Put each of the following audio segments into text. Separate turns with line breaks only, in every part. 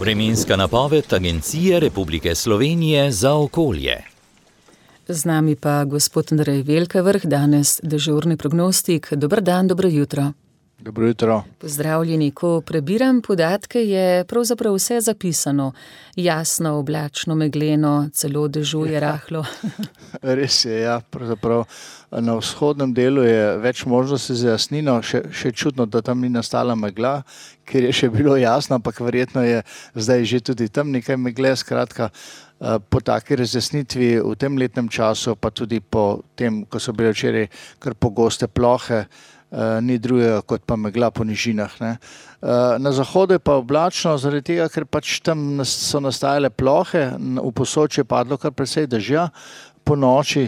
Vremenska napoved Agencije Republike Slovenije za okolje.
Z nami pa gospod Andrej Velkavrh, danes dežurni prognostik. Dober dan, dobro jutro.
Dobro jutro.
Pozdravljeni. Ko prebiram podatke, je pravzaprav vse zapisano. Jasno, oblačno, megleno, celo dežuje rahlo.
Res je, ja. Pravzaprav na vzhodnem delu je več možnosti za jasnino. Še čudno, da tam ni nastala megla, ker je še bilo jasno, ampak verjetno je zdaj že tudi tam nekaj megle. Skratka, po taki razjasnitvi v tem letnem času, pa tudi po tem, ko so bile včeraj kar pogoste plohe, ni drugega kot pa megla po nižinah. Na zahodu je pa oblačno, zaradi tega, ker pač tam so nastajale plohe, v Posočju je padlo kar precej dežja, po noči,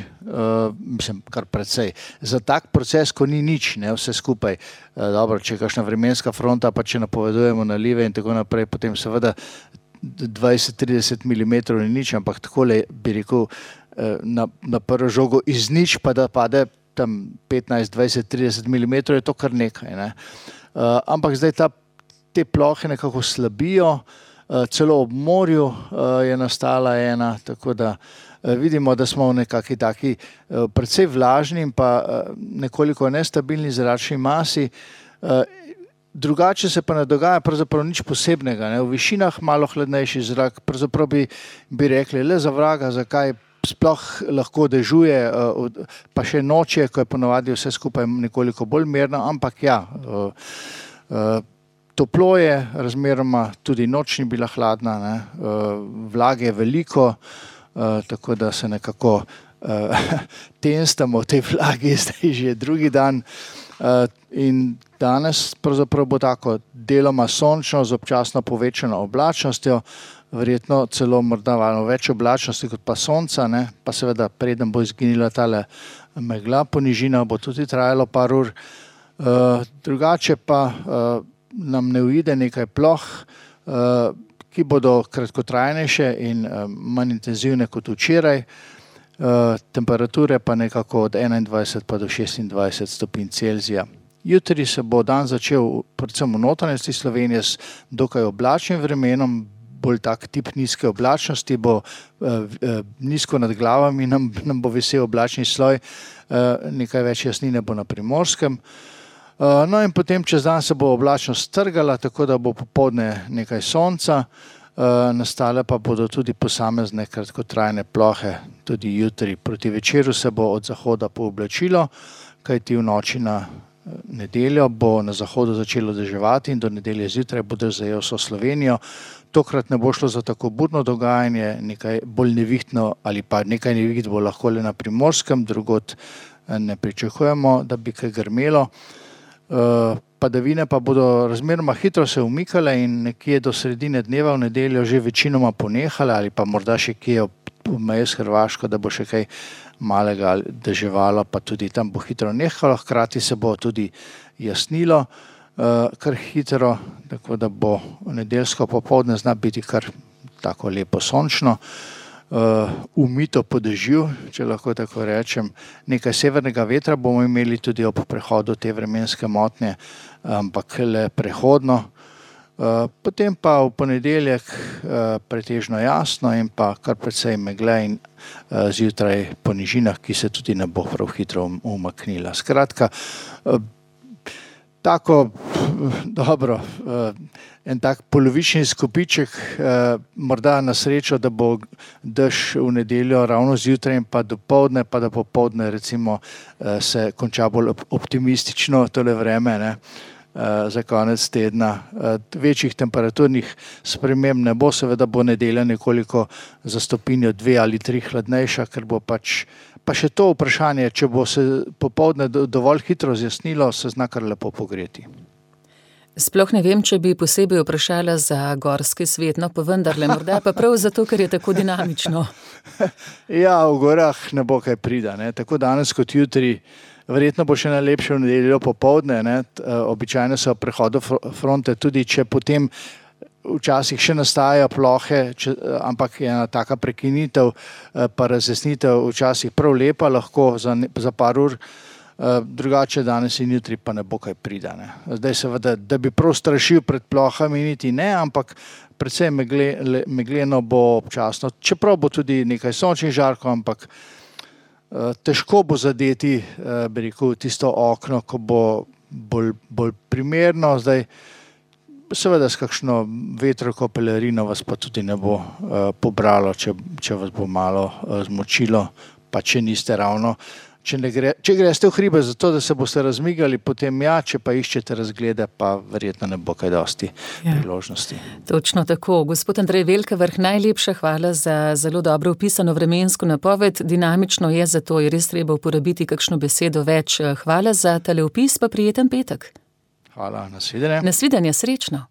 kar precej. Za tak proces, ko ni nič, vse skupaj. Dobro, če je kakšna vremenska fronta, pa če napovedujemo nalive in tako naprej, potem seveda 20-30 mm ni nič, ampak takole bi rekel na prvo žogo iz nič, pa da pade tam 15, 20, 30 mm, je to kar nekaj. Ampak zdaj te plohe nekako slabijo, celo ob morju je nastala ena, tako da vidimo, da smo v nekaki taki precej vlažni in pa nekoliko nestabilni zračni masi. Drugače se pa ne dogaja pravzaprav nič posebnega. V višinah malo hladnejši zrak, pravzaprav bi rekli, le za vraga, zakaj sploh lahko dežuje, pa še noče, ko je ponovadi vse skupaj nekoliko bolj mirno, ampak ja, toplo je, razmeroma tudi noč ni bila hladna, vlage je veliko, tako da se nekako tenstamo v tej vlagi, zdaj že drugi dan. In danes pravzaprav bo tako deloma sončno z občasno povečano oblačnostjo, verjetno celo morda malo več oblačnosti kot pa sonca, pa seveda preden bo izginila tale megla po nižinah, bo tudi trajalo par ur. Drugače pa nam ne uide nekaj ploh, ki bodo kratkotrajnejše in manj intenzivne kot včeraj. Temperature pa nekako od 21 pa do 26 stopinj Celzija. Jutri se bo dan začel predvsem v notranjosti Slovenije s dokaj oblačnim vremenom, bolj tak tip nizke oblačnosti, bo nizko nad glavami, nam bo visel oblačni sloj, nekaj več jasnine bo na Primorskem. No in potem čez dan se bo oblačnost strgala, tako da bo popoldne nekaj sonca, nastale pa bodo tudi posamezne kratkotrajne plohe, tudi jutri. Proti večeru se bo od zahoda pooblačilo, kajti v noči na nedeljo bo na zahodu začelo deževati in do nedelje zjutraj bo dež zajel vso Slovenijo. Tokrat ne bo šlo za tako burno dogajanje, nekaj bolj nevihtno ali pa nekaj neviht bo lahko le na Primorskem, drugod ne pričakujemo, da bi kaj grmelo. Padavine pa bodo razmeroma hitro se umikale in nekje do sredine dneva v nedeljo že večinoma ponehale ali pa morda še kje ob meji s Hrvaško, da bo še kaj malega deževalo, pa tudi tam bo hitro nehalo, hkrati se bo tudi jasnilo kar hitro, tako da bo nedeljsko popoldne zna biti kar tako lepo sončno, umito po dežju, če lahko tako rečem. Nekaj severnega vetra bomo imeli tudi ob prehodu te vremenske motnje, ampak le prehodno. Potem pa v ponedeljek pretežno jasno in pa kar precej megle in zjutraj po nižinah, ki se tudi ne bo prav hitro umaknila. Skratka, tako, dobro, en tak polovični izkupiček, morda na srečo, da bo dež v nedeljo ravno zjutraj in pa dopoldne, pa da popoldne recimo se konča bolj optimistično tole vreme, za konec tedna. Večjih temperaturnih sprememb ne bo, seveda bo nedelja nekoliko za stopinjo 2 ali 3 hladnejša, ker bo pač, pa še to vprašanje, če bo se popoldne dovolj hitro zjasnilo, se zna kar lepo pogreti.
Sploh ne vem, če bi posebej vprašala za gorski svet, no pa vendarle, morda pa prav zato, ker je tako dinamično.
Ja, v gorah ne bo kaj prida, tako danes kot jutri. Verjetno bo še najlepše v nedeljo popoldne, običajno so prehodu fronte, tudi če potem včasih še nastajajo plohe, ampak je ena taka prekinitev, pa razjasnitev včasih prav lepa, lahko za par ur. drugače danes in jutri pa ne bo kaj pridane. Zdaj seveda, da bi prav strašil pred plohami, niti ne, ampak predvsem megleno bo občasno, čeprav bo tudi nekaj sončnih žarkov, ampak težko bo zadeti, bi rekel, tisto okno, ko bo bolj primerno. Zdaj, seveda s kakšno vetrovko pelerino vas pa tudi ne bo pobralo, če vas bo malo zmočilo, pa če niste ravno. Če greste v hribe zato, da se boste razmigali, potem če pa iščete razglede, pa verjetno ne bo kaj dosti priložnosti.
Točno tako. Gospod Andrej Velkavrh, najlepša hvala za zelo dobro opisano vremensko napoved. Dinamično je, zato je res treba uporabiti kakšno besedo več. Hvala za tale opis, pa prijeten petek.
Hvala, nasvidenje.
Nasvidenje, srečno.